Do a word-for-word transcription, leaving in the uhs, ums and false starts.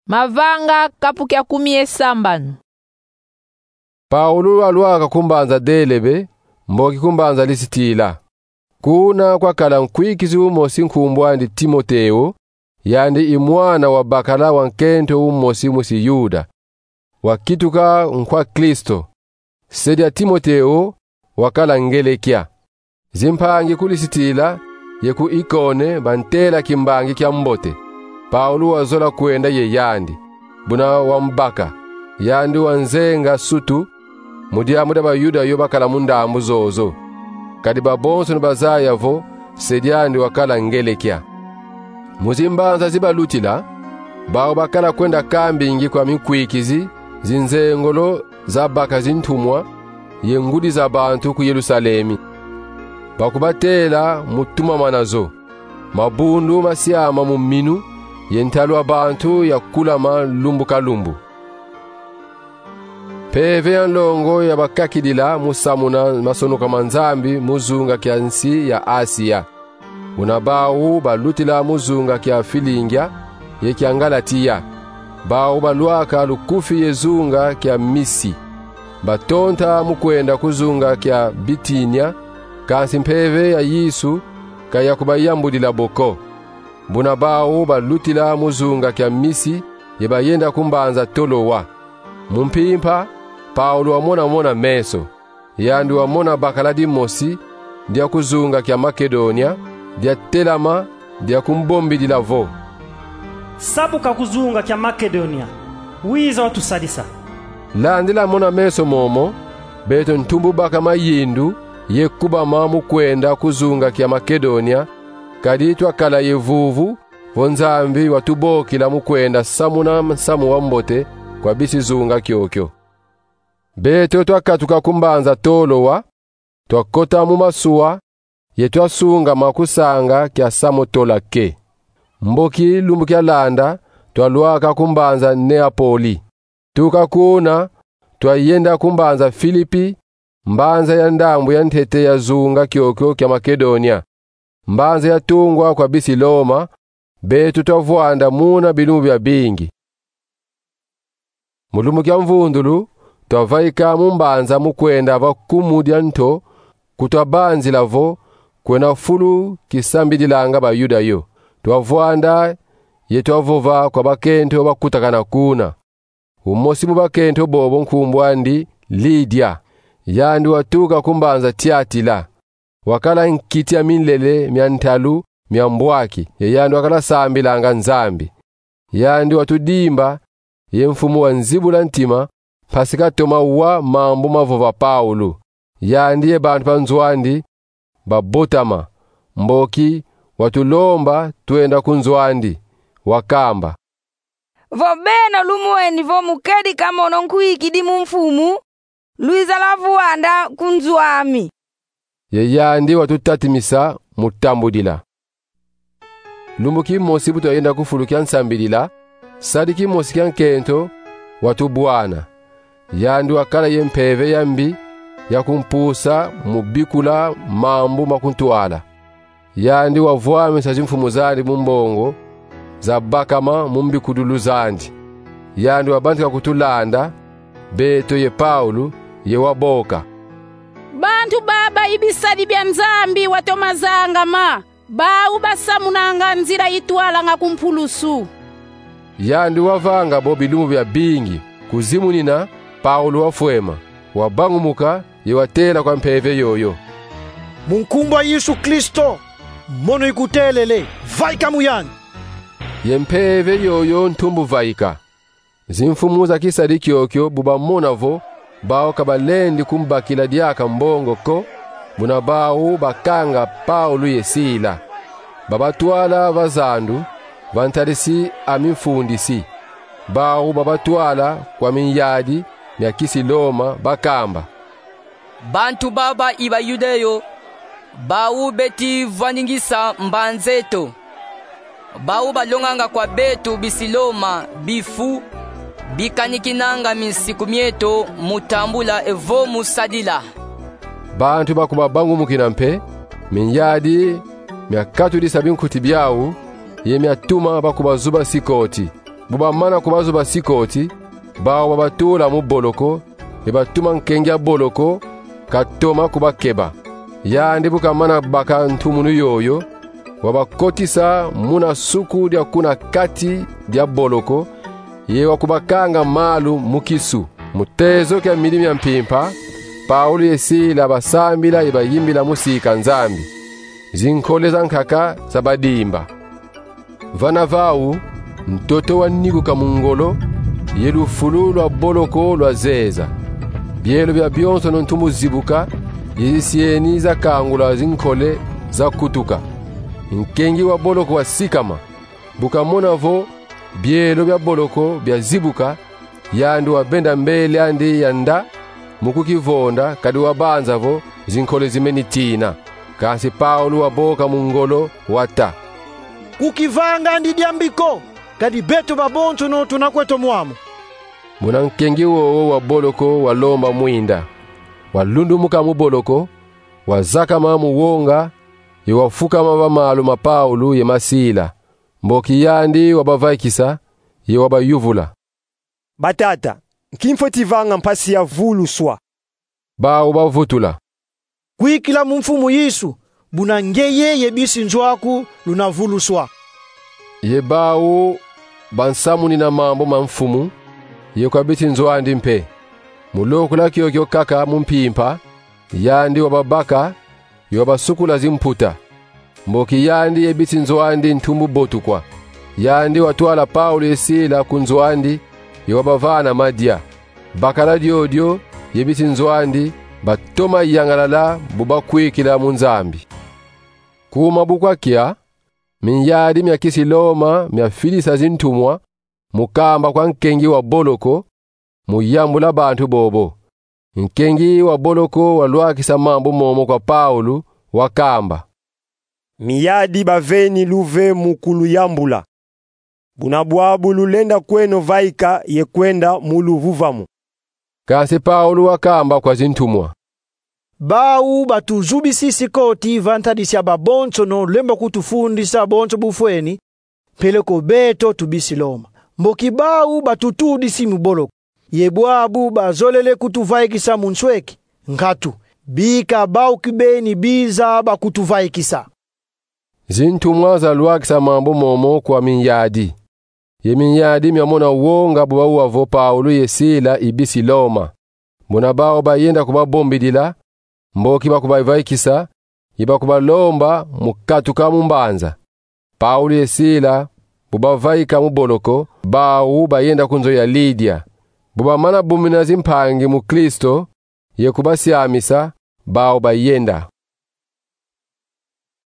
Mavanga kapu kia kumi ye sambanu. Paulu walwaka ku mbanza Delebe, mboki ku mbanza Lisitila. Kuna kwakala nkwikizi umosi nkumbu andi Timoteo, yandi i mwana wa bakala wa nkento umosi musi Yuda. Wakituka nkwa Kristo. Se dia Timoteo wakala ngelekia. Zimpangi ku Lisitila ye ku Ikone bantela kimbangi kia mbote. Paulu wazola kwenda ye yandi, buna wambaka. Yandi wanzenga sutu mu diambu dia Bayuda yo bakala mu ndambu zozo. Kadi babonsono bazaya vo se diandi wakala ngelekia. Mu zimbanza zi balutila, bau bakala kwenda kambingi kwa minkwikizi zinzengolo zabaka zintumwa ye ngudi za bantu ku Yerusalemi. Bakubatela mu tumamana zo. Mabundu masiama mu minu ye ntalu a bantu yakulama lumbu ka lumbu. Mpeve ya nlongo yabakakidila mu samuna masonoka ma Nzambi mu zunga kia nsi ya Asia. Buna bau balutila mu zunga kia Filingia ye kia Ngalatia. Bau balwaka lukufi ye zunga kia Misi. Batonta mu kwenda ku zunga kia Bitinia, kansi mpeve ya Yesu ka yakubayambudila bo ko. Buna bau balutila mu zunga kia Misi ye bayenda ku mbanza Tolowa. Mu mpimpa, Paulu wamona-mona meso. Yandi wamona bakala dimosi dia ku zunga kia Makedonia, diatelama, diakumbombidila vo: Sabuka ku zunga kia Makedonia, wiza watusadisa. Landila mona-meso momo, beto ntumbu baka mayindu ye kubama mu kwenda ku zunga kia Makedonia, kadi twakala ye vuvu vo Nzambi watubokila mu kwenda samuna nsamu wa mbote kwa bisi zunga kiokio. Beto twakatuka ku mbanza Tolowa, twakota mu masuwa, ye twasungama ku sanga kia Samotolake. Mboki lumbu kialanda, twalwaka ku mbanza Neapoli. Tuka kuna, twayenda ku mbanza Filipi, mbanza ya ndambu ya ntete ya zunga kiokio kia Makedonia. Mbanza yatungwa kwa bisi Loma, beto twavwanda muna bilumbu biabingi. Mu lumbu kia mvundulu, twavaika mu mbanza mu kwenda va kumu dia nto, ku twabanzila vo kwena fulu kisambidilanga Bayuda yo. Twavwanda ye twavova kwa bakento bakutakana kuna. Umosi mu bakento bobo nkumbu andi Lidia. Yandi watuka ku mbanza Tiatila. Wakala nkiti ya minlele mia ntalu mia mbwaki, ye yandi wakala sambilanga Nzambi. Yandi watudimba, ye Mfumu wanzibula ntima, mpasi katoma wa mambu mavova Paulu. Yandi ye bantu ba nzo andi babotama, mboki watulomba twenda ku nzo andi, wakamba: Vo beno lumweni vo mu kedika mono nkwikidi mu Mfumu, lwiza lwavwanda ku nzo ami. Ye yandi watutatimisa mu tambudila. Lumbu kimosi bu twayenda ku fulu kia nsambidila, sadi kimosi kia nkento watubwana. Yandi wakala ye mpeve ya mbi ya kumpusa mu bikula mambu ma kuntwala. Yandi wavwamisa zimfumu zandi mu mbongo zabakama mu mbikudulu zandi. Yandi wabantika kutulanda, beto ye Paulu, ye waboka: Bantu baba i bisadi bia Nzambi watoma zangama, bau basamunanga nzila itwalanga ku mpulusu. Yandi wavanga bo bilumbu biabingi. Kuzimunina, Paulu wafwema, wabangumuka, ye watela kwa mpeve yoyo: Mu nkumbu a Yesu Kristo, mono ikutelele, vaika mu yandi. Ye mpeve yoyo ntumbu vaika. Zimfumu za kisadi kiokio bu bamona vo bau ka balendi kumbakila diaka mbongo ko, buna bau bakanga Paulu ye Sila. Babatwala va zandu, va ntadisi a mifundisi. Bau babatwala kwa minyadi mia kisi Loma, bakamba: Bantu baba i Bayuda yo, bau beti vwandingisa mbanza eto. Bau balonganga kwa beto bisi Loma bifu bikanikinanga minsiku mieto mu tambula evo mu sadila. Bantu bakubabangumukina mpe, minyadi miakatudisa binkuti biau, ye miatuma bakubazuba sikoti. Bu bamana kubazuba sikoti, bawu babatula mu boloko, ye batuma nkengi a boloko katoma kubakeba. Yandi bu kamana baka ntumunu yoyo, wabakotisa muna suku dia kuna kati dia boloko, ye wakubakanga malu mu kisu. Mu tezo kia midi mia mpimpa, Paulu ye Sila basambila ye bayimbila mu sika Nzambi. Zinkole za nkaka zabadimba. Vana vawu, ntoto wanikuka mu ngolo, ye lufulu lwa boloko lwazeza. Bielo biabionsono ntumbu zibuka, ye zisieni zakangula zinkole zakutuka. Nkengi wa boloko wasikama. Bu kamona vo bielo bia boloko biazibuka, yandi wabenda mbeli andi ya nda mu kukivonda, kadi wabanza vo zinkole zimeni tina. Kansi Paulu waboka mu ngolo, wata: Kukivanga andi diambi ko, kadi beto babonsono tuna kweto mwamu. Muna nkengi wowo wa boloko walomba mwinda. Walundumuka mu boloko, wazakama mu wonga, ye wafukama va malu ma Paulu ye ma Sila. Mboki yandi wabavaikisa, ye wabayuvula: Batata, nki mfweti vanga mpasi ya vuluswa? Bawu bavutula: Kwikila mu Mfumu Yesu, buna ngeye ye bisi nzo aku luna vuluswa. Ye bawu bansamunina mambu ma Mfumu, ye kwa bisi nzo andi mpe. Mu lokula kiokio kaka mu mpimpa, yandi wababaka, ye wabasukula zimputa. Mboki yandi ye bisi nzo andi ntumbu botukwa. Yandi watwala Paulu ye Sila ku nzo andi, ye wabavana madia. Bakala diodio ye bisi nzo andi batoma yangalala bu bakwikila mu Nzambi. Kuma bu kwakia, minyadi mia kisi Loma miafidisa zintumwa mu kamba kwa nkengi wa boloko, mu yambula bantu bobo. Nkengi wa boloko walwakisa mambu momo kwa Paulu, wakamba: Minyadi baveni luve mu kuluyambula. Buna bwabu lulenda kweno vaika ye kwenda mu luvuvamu. Kansi Paulu wakamba kwa zintumwa: Bawu batuzubisi sikoti va ntadisi ya babonsono lemba kutufundisa bonso bufweni, peleko beto tubisi Loma. Mboki bawu batutudisi mu boloko, ye bwabu bazolele kutuvaikisa mu nsweki, nkatu, bika bawu kibeni biza bakutuvaikisa. Zintumwa zalwakisa mambu momo kwa minyadi. Ye minyadi miamona wonga bu bawa vo Paulu ye Sila i bisi Loma. Buna bawu bayenda kubabombidila, mboki bakubavaikisa, ye bakubalomba mu katuka mu mbanza. Paulu ye Sila bu bavaika mu boloko, bawu bayenda ku nzo ya Lidia. Bu bamana bumina zimpangi mu Kristo, ye kubasiamisa, bawu bayenda.